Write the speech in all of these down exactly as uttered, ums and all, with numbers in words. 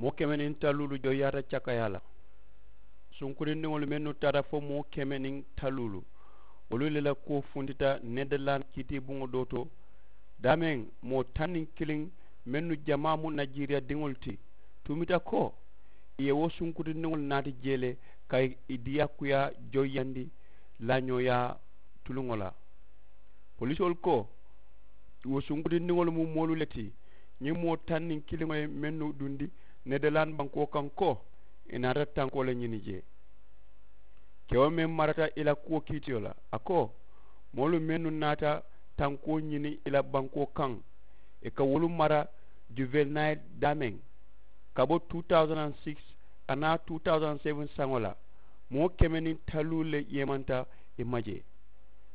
Moo keme niŋ taluulu joyaata cakayaa la. Sunkurindiŋolu mennu taata fo moo keme niŋ taluulu, wolu le la kuwo funtita nederland kiitiibuŋo doo to. Daameŋ moo taŋ niŋ kiliŋ mennu jamaa mu najiriya diŋolu ti, tumita ko ì ye wo sunkurindiŋolu naati jee le ka ì diyaakuyaa joyiyandi laañooyaa tuluŋo la. Polisoolu ko wo sunkurindiŋolu mu moolu le ti, ñiŋ moo taŋ niŋ kiliŋo ye mennu dundi nederland bankoo kaŋ ko ì naata tankoo le ñini jee. Kewo meŋ marata i la kuwo kiitiyo la a ko, moolu mennu naata tankoo ñini i la bankoo kaŋ, ì ka wolu mara juvenayil daameŋ ka bo two thousand and six ka naa two thousand seven saŋo la, moo keme niŋ taluulu le yeemanta ì ma jee.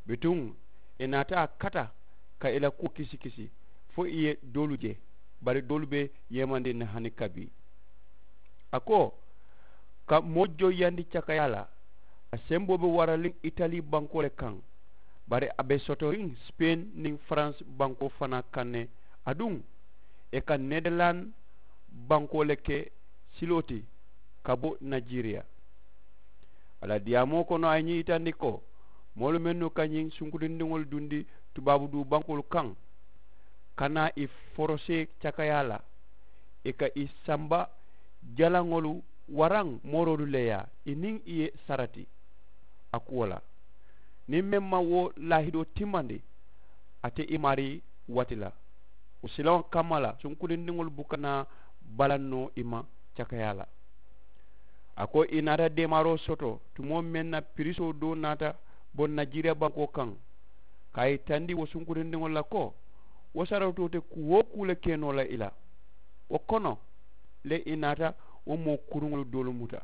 Bituŋ ì naata a kata ka ì la kuwo kisi kisi fo ì ye doolu je, bari doolu be yeemandiŋ ne hani kabi. A ko ka moo joyiyandi cakayaa la, a semboo be waraliŋ itali bankoo le kaŋ, bari a be sotoriŋ sipeŋ niŋ faransi bankoo fanaa kaŋ ne. Aduŋ ì ka nederland bankoo le ke siloo ti ka bo najiriya. A la diyaamoo kono a ye ñiŋ yitandi ko moolu mennu ka ñiŋ sunkurindiŋolu dundi tubaabu duu bankoolu kaŋ, ka naa ì forosee cakayaa la, ì ka ì samba jalaŋolu waraŋ mooroolu le yaa ì niŋ ì ye sarati a kuwo la. Niŋ meŋ maŋ wo laahidoo timmandi, a te ì maarii wati la. Wo silaŋo kamma la sunkurindiŋolu buka naa balaŋ noo ì ma cakayaa la. A ko ì naata deemaaroo soto tumoo meŋ na pirisoo doo naata boŋ najiriya bankoo kaŋ, ka a yitandi wo sunkurindiŋolu la ko wo saratoo te kuu-wo-kuu le ke noo la ì la. Wo kono le ì naata wo moo kuruŋolu doolu muta.